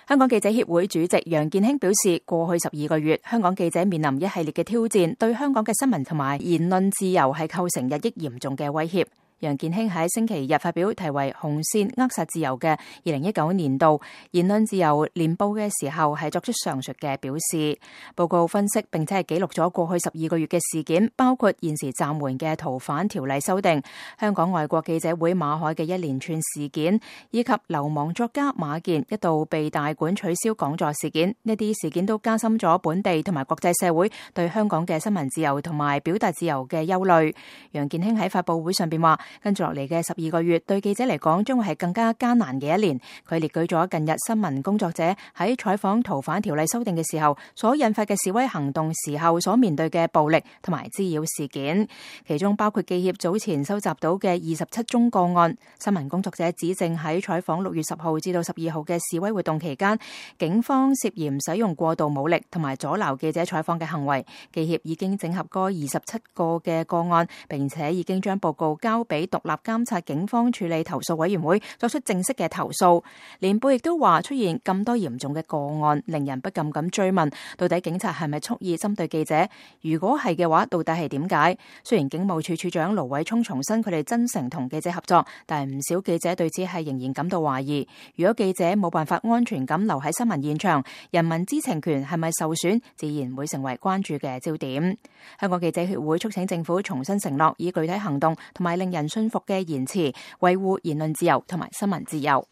香港記者協會主席楊健興表示，過去12個月，香港記者面臨一系列嘅挑戰，對香港嘅新聞同埋言論自由係構成日益嚴重嘅威脅。楊健興喺星期日發表題為《紅線扼殺自由》嘅2019年度言論自由年報嘅時候，係作出上述嘅表示。報告分析並且係記錄咗過去12個月嘅事件，包括現時暫緩嘅逃犯條例修訂、香港外國記者會馬凱嘅一連串事件，以及流亡作家馬健一度被大館取消講座事件。呢啲事件都加深咗本地同埋國際社會對香港嘅新聞自由同埋表達自由嘅憂慮。楊健興喺發佈會上邊話，跟住落嚟嘅12個月對記者嚟講將會係更加艱難嘅一年。佢列舉咗近日新聞工作者喺採訪逃犯條例修訂嘅時候所引發嘅示威行動時候所面對嘅暴力同埋滋擾事件，其中包括記協早前收集到嘅27宗個案。新聞工作者指證喺採訪6月10號至到12號嘅示威活動期間，警方涉嫌使用過度武力同埋阻撓記者採訪嘅行為。記協已經整合嗰27個嘅個案，並且已經將報告交俾獨立監察警方處理投訴委員會作出正式嘅投訴。年報亦都話，出現咁多嚴重嘅個案，令人不禁咁追問，到底警察係咪蓄意針對記者？如果係嘅話，到底係點解？雖然警務處處長盧偉聰重申佢哋真誠同記者合作，但係唔少記者對此係仍然感到懷疑。如果記者冇辦法安全咁留喺新聞現場，人民知情權係咪受損，自然會成為關注嘅焦點。香港記者協會促請政府重新承諾，以具體行動同埋令人信服嘅言辭維護言論自由同埋新聞自由。